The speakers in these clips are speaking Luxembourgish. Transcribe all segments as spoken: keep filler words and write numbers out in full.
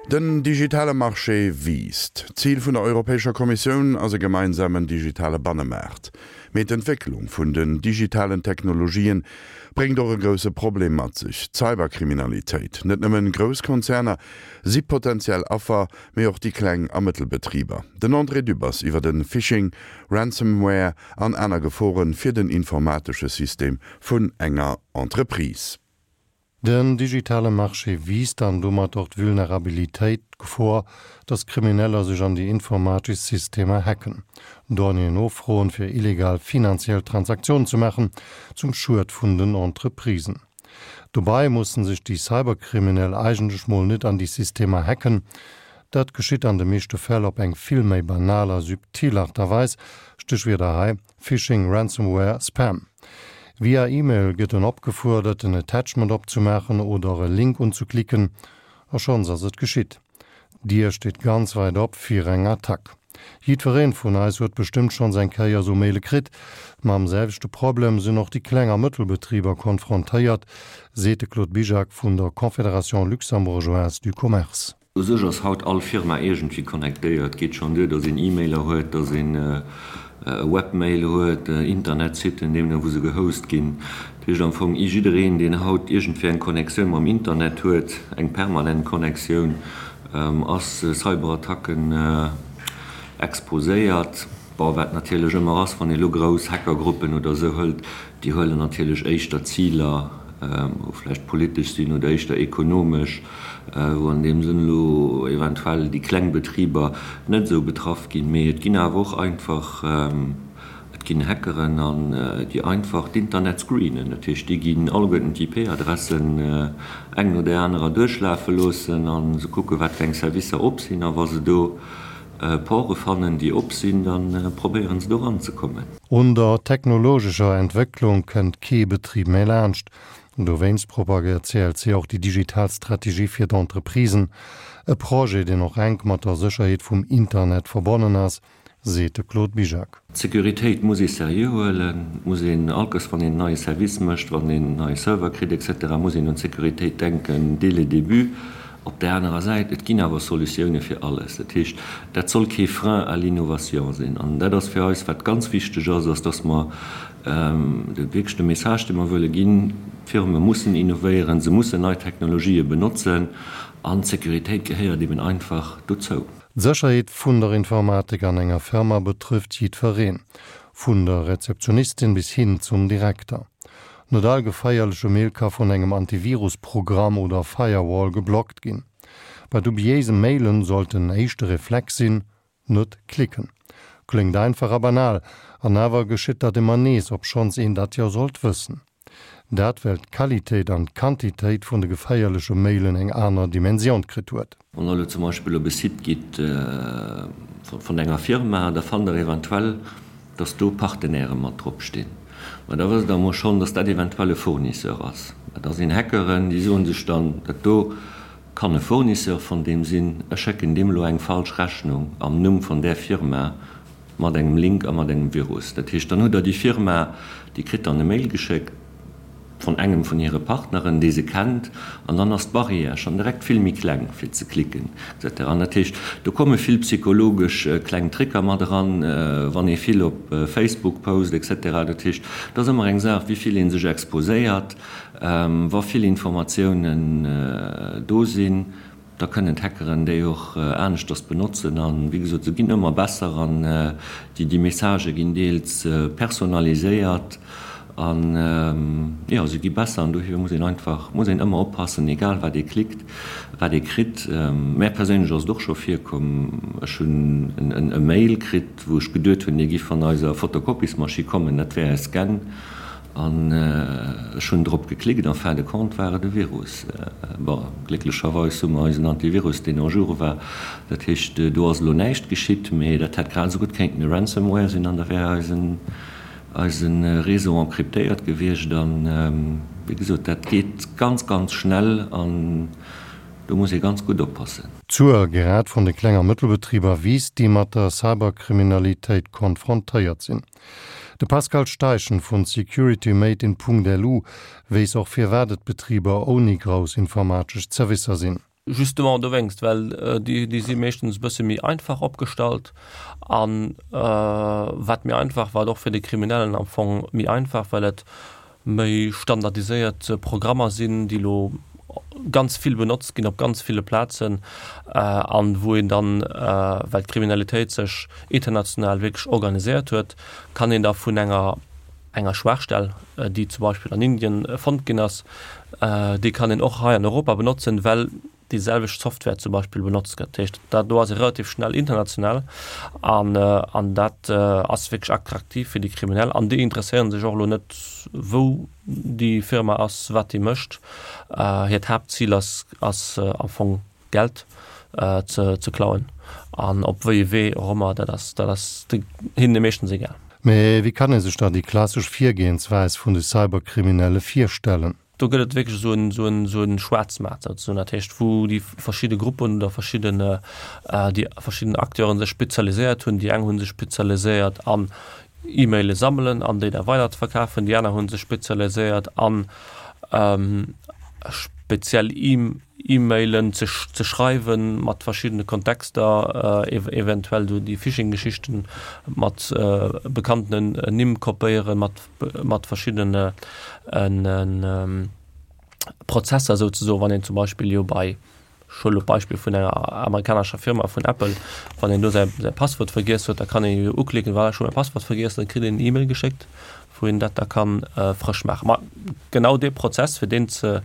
Den digitale Marché wiisst. D'Zil vun der Europäescher Kommissioun ass e gemeinsamen digitale Bannemaart. Mee d'Entwécklung vun den digitalen Technologien bréngt och e grousse Problem mat sech, d'Cyberkriminalitéit. Net nëmmen grouss Konzerner si potenziell Affer, mee och déi kleng a mëttel Betriber. Den André Dübbers iwwer de Phishing, Ransomware an aner Gefore fir den informatesche System vun enger Entreprise. Den digitale Marché wiisst an domat och d'Vulnerabilitéit, d'Gefor, dass Krimineller sech an déi informatesch Systemer hacken, Donnéeën offroen, fir illegal finanziell Transaktiounen ze maachen, zum Schued vun den Entreprisen. Dobäi mussen sech déi Cyberkriminell eigentlech mol net an déi Systemer hacken, dat geschitt an de meeschte Fäll op eng vill méi banal a subtil Aart a Weis, Stéchwierder hei, Phishing, Ransomware, Spam. Via E-Mail gëtt en opgefuerdert en Attachment opzemaachen oder e Link unzeklicken, a schonns ass et geschitt. D'Dier steet ganz weit op fir eng Attack. Jiddwereen vun eis huet bestëmmt schonns eng Kéier esou Maile kritt. Mam selwechte Problem sinn och déi Kleng a Mëttelbetriber konfrontéiert, seet de Claude Bizjak vun der Confédération luxembourgeoise du commerce. U sech ass haut all Firma iergendwéi connectéiert. Et geet schonn duer, datt een E-Mailer huet, datt een e Webmail huet, Internetsitten, deemno wou se gehost ginn. Dat heescht am Fong, jiddereen, deen haut iergendwéi eng Connectioun mam Internet huet, eng permanent Connectioun, ass Cyberattacken exposéiert. Bon, wat natierlech ëmmer ass, wann ee lo grouss Hackergruppen oder esou hëlt, déi huelen natierlech éischter Ziler, wou vläicht politesch sinn oder éischter ekonomesch, wou an deem Sënn elo eventuell déi kleng Betriber net esou betraff ginn. Mee et ginn awer och einfach, et ginn Hackeren an déi einfach d'Internet screenen. Dat heescht, déi ginn alleguerten d'IP-Adressen eng no där anerer duerchlafe loossen a se kucken, wat fir eng Servicer op sinn. A wa se do Porte fannen, déi op sinn, da probéieren se do eranzekommen. Un der technologescher Entwécklung kënnt kee Betrib méi laanscht. Dowéinst propagéiert d'CLC och déi digital Strategie fir d'Entreprisen, e Projet, deen och enk mat der Sécherheet vum Internet verbonnen ass, seet de Claude Bizjak. D'Sécuritéit muss ee seriö huelen, et muss een allkes, wann een en neie Service mécht, wann een en neie Server kritt et cetera, muss een un d'Sécuritéit denken dès le début. Op där anerer Säit, et ginn awer Solutioune fir alles. Dat heescht, dat soll kee Frein à l'innovation sinn. An dat ass fir eis, wat ganz wichteg ass, ass, dass mer wierklech de Message, dee mer wëlle ginn, D'Firme mussen innovéieren, se mussen nei Technologië benotzen an d'Sécuritéit gehéiert eben einfach dozou. D'Sécherheet vun der Informatik an enger Firma betrëfft jiddwereen, vun der Rezeptionistin bis hin zum Direkter. Net all geféierleche Mail ka vun engem Antivirus-Programm oder Firewall geblockt ginn. Bei dubiéise Mailen sollt den éischte Reflex sinn, Net klicken. Kléngt einfach a banal, an awer geschitt dat ëmmer nees, obschonns een dat jo sollt wëssen. Dat well d'Qualitéit an d'Quantitéit vun de geféierleche Mailen eng aner Dimensioun kritt huet. Wann Der elo zum Beispill op e Site gitt vun enger Firma, da fannt Der eventuell, dass do Partenairë mat drop stinn. Ma da wësst Der emol schonn, dass dat eventuell e Fournisseur ass. Da sinn Hackeren, déi soen sech dann, dat do kann e Fournisseur vun deem sinn, ech schécken deem elo eng falsch Rechnung am Numm vun där Firma mat engem Link a mat engem Virus. Dat heescht, dann hutt Der déi Firma, déi kritt dann e Mail geschéckt vun engem vun hire Partneren, dee se kennt, an dann ass d'Barrière schonn direkt vill méi kleng fir ze klicken et cetera. An dat heescht, do komme vill psychologesch kleng Tricker mat eran, wann ee vill op Facebook post et cetera. Dat heescht, et ass ëmmer eng Saach, wéi vill ee sech exposéiert, wa vill Informatiounen do sinn. Da kënnen d'Hackeren déi och aneschters benotzen. A wéi gesot, se ginn ëmmer besser an déi Messagë ginn deels personaliséiert an, jo, se gi besser. An dofir muss een einfach, muss een ëmmer oppassen, egal wat ee klickt, wat ee kritt. Mär perséinlech ass et och scho virkomm, ech hunn e Mail kritt, wou ech geduet hunn, dee giff van eiser Fotokopiesmaschinn kommen, dat wär e Scan. An ech hunn drop geklickt, en fin de compte war et e Virus. Bon, glécklecherweis hu mer eisen Antivirus, deen en jour war. Dat heescht, do ass elo näischt geschitt, mee dat hätt grad esou gutt kéinten e Ransomware sinn an da wär eisen, eise Réseau encryptéiert gewiescht. An, wéi gesot, dat geet ganz, ganz schnell an do muss ee ganz gutt oppassen. D'Zuel grad vun de Kleng a Mëttelbetriber wiisst, déi mat der Cyberkriminalitéit konfrontéiert sinn. De Pascal Steichen vun Security Made in. Lu weess och firwat et Betriber ouni grouss informatesch Zerwisser sinn. Justement dowéinst, well déi, déi si meeschtens e bësse méi einfach opgestallt an wat méi einfach, wat och fir de Kriminellen am Fong méi einfach, well et méi standardiséiert Programmer sinn, déi elo ganz vill benotzt ginn op ganz ville Plazen an wou een dann, well d'Kriminalitéit sech international wierklech organiséiert huet, kann een da vun enger enger Schwaachstell, déi zum Beispill an Indien fonnt ginn ass, déi kann een och hei an Europa benotzen, well déi selwecht Software zum Beispill benotzt gëtt. Dat heescht, dat do ass ee relativ schnell international an, an dat ass wierklech attraktiv fir déi Kriminell an déi interesséiere sech och elo net, wou déi Firma ass, wat déi mécht. Hiert Haaptzil ass, ass am Fong Geld ze, ze klauen an op wéi ee Wee och ëmmer, dat ass, dat ass hinne meeschtens egal. Mee wéi kann ee sech da déi klassesch Virgehensweis vun de Cyberkriminelle virstellen? Do gëtt et wierklech esou en, esou en, esou en Schwaarzmaart souzesoen, dat heescht wou déi verschidde Gruppen oder verschidden, déi verschidden Acteuren sech spezialiséiert hunn. Déi eng hu sech spezialiséiert an E-Maile sammelen an déi da weider ze verkafen, déi aner hu sech spezialiséiert an speziell E-Mailen ze ze schreiwen mat verschiddene Kontexter, eventuell do déi Phishing-Geschichten mat bekanntenen Nimm kopéieren, mat mat verschiddene Prozesser souzesoen, wann een zum Beispill jo bei Ech huelen elo d'Beispill vun enger amerikanescher Firma, vun Apple, wann een do säi säi Passwuert vergiess huet, da kann ee jo uklicken, voilà, ech hu mäi Passwuert vergiess, dann kritt een en E-Mail geschéckt, wou een dat da ka frësch maachen. Ma genau dee Prozess, fir deen ze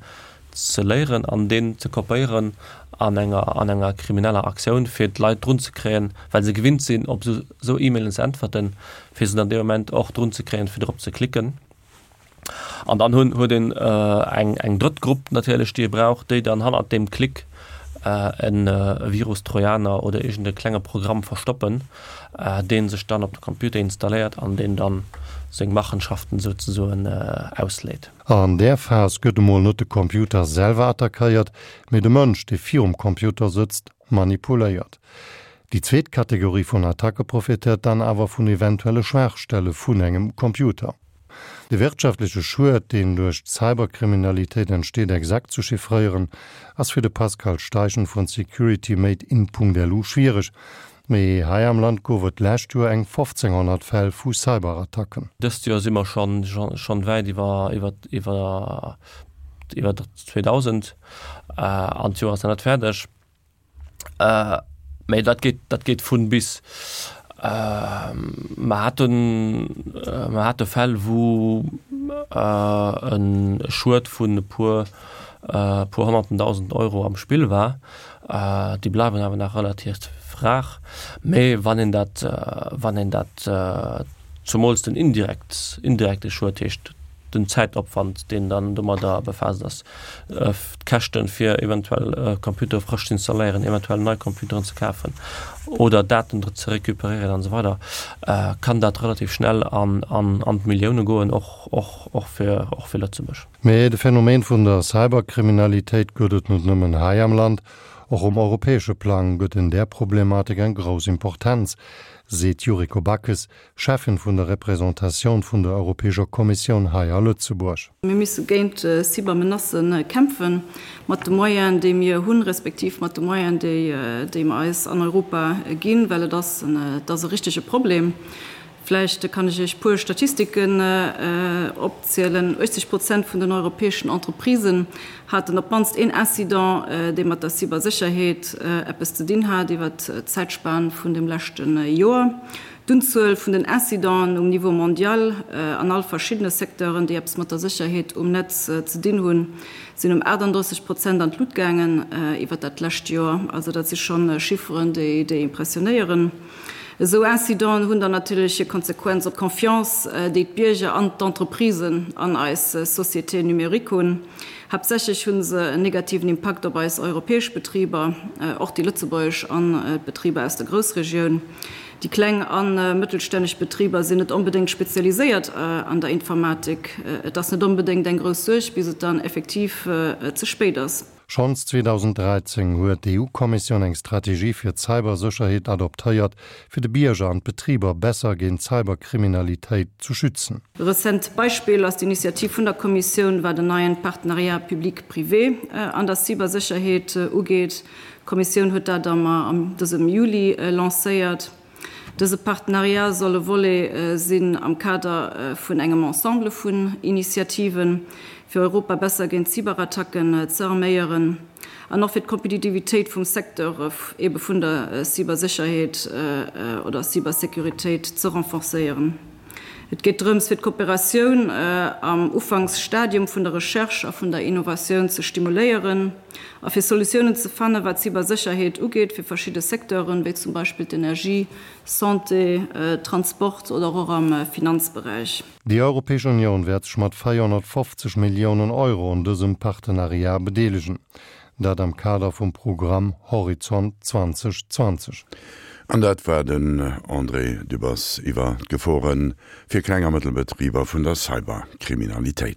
ze léieren an deen ze kopéieren an enger an enger krimineller Aktioun, fir d'Leit drun ze kréien, well se gewinnt sinn, op esou esou E-Mailen ze äntwerten, fir se dann dee Moment och drun ze kréien, fir drop ze klicken. An dann hunn, huet een eng, eng drëtt Grupp natierlech, déi ee brauch, déi dann hannert deem Klick e Virus, Trojaner oder iergend e klenge Programm verstoppen, dee sech dann op de Computer installéiert an deen dann seng Machenschaften souzesoen ausléit. An där Phas gëtt emol net de Computer selwer attackéiert, mee de Mënsch, dee virum Computer sëtzt, manipuléiert. Déi zweet Kategorie vun Attacke profitéiert dann awer vun eventuelle Schwaachstelle vun engem Computer. De wirtschaftleche Schued, deen duerch d'Cyberkriminalitéit entsteet, exakt ze chiffréieren, ass fir de Pascal Steichen vun Security Made in Punkt-lu schwiereg. Mee hei am Land gouf et d'lescht Joer eng fofzénghonnert Fäll vu Cyberattacken. Dëst Joer si mer schonn wäit iwwer iwwer iwwer zweedausend an d'Joer ass nach net fäerdeg. Mee dat geet, dat geet vun bis. Mer haten, mer hate Fäll, wou e Schued vun e puer, puer honnerten Dausend Euro am Spill war. Déi bleiwen awer nach relativ rar. Mee wann een dat, wann een dat, zumools den indirekt, indirekte Schued, heescht den Zäitopwand, deen dann domadder befaasst ass, d'Käschten, fir eventuell Computere frësch ze installéieren, eventuell nei Computeren ze kafen oder Daten ze recuperéieren an esou weider, kann dat relativ schnell an d'Millioune goen, och fir Lëtzebuerg. Mee de Phänomen vun der Cyberkriminalitéit gëtt et net nëmmen hei am Land. Och um europäesche Plang gëtt en där Problematik eng grouss Importenz, seet d'Yuriko Backes, Cheffin vun der Représentatioun vun der Europäescher Kommissioun hei a Lëtzebuerg. Mir musse géint Cybermenacë kämpfen, mat de Moyenen, déi mir hunn, respektiv mat de Moyenen, déi mer eis an Europa ginn, well et ass et ass e richtege Problem. Vläicht kann ech Iech e puer Statistiken opzielen. uechtzeg Prozent vun den europäeschen Entreprisen haten op d'mannst een Incident, dee mat der Cybersécherheet eppes ze dinn hat, iwwert d'Zäitspan vun dem leschte Joer. D'Unzuel vun den Incidenten um Niveau mondial an all verschiddene Secteuren, déi eppes mat der Sécherheet um Netz ze dinn hunn, sinn ëm achtandrësseg Prozent an d'Lut gaangen iwwert dat lescht Joer. Also dat si scho Chifferen, déi impressionéieren. Esou Incidenten hunn dann natierlech hir Konsequenz op d'Confiance, déi d'Bierger an d'Entreprisen an eis Société numérique hunn. Haaptsächlech hu se en negativen Impakt op eis europäesch Betriber, och déi lëtzebuergesch an d'Betriber aus der Groussregioun. Déi kleng a mëttelstänneg Betriber sinn net onbedéngt spezialiséiert an der Informatik. Et ass net onbedéngt eng grouss Suerg, bis et dann effektiv ze spéit ass. Schonns zweedausenddräizéng huet d'EU-Kommissioun eng Strategie fir d'Cybersécherheet adoptéiert, fir de Bierger an d'Betriber besser géint Cyberkriminalitéit zu schützen. E rezent Beispill ass d'Initiativ vun der Kommissioun, wat en neien Partenariat public-privé an der Cybersécherheet ugeet. D'Kommissioun huet dat am dësem Juli lancéiert. Dëse Partenariat soll e Volet sinn am Kader vun engem Ensemble vun Initiativen, fir Europa besser géint Cyberattacken ze arméieren an och fir d'Kompetitivitéit vum Secteur ebe vun der Cybersécherheet oder Cybersécuritéit ze renforcéieren. Et geet drëms, fir d'Kooperatioun am Ufanksstadium vun der Recherche a vun der Innovatioun ze stimuléieren a fir Solutiounen ze fannen, wat d'Cybersécherheet ugeet, fir verschidde Secteuren, wéi zum Beispill d'Energie, Santé, Transport oder och am Finanzberäich. Déi Europäesch Unioun wäert sech mat véierhonnertfofzeg Milliounen Euro un dësem Partenariat bedeelegen. Dat am Kader vum Programm Horizont zweitausendzwanzig. An dat war den André Dübbers iwwer d'Gefore fir Kleng a Mëttelbetriber vun der Cyberkriminalitéit.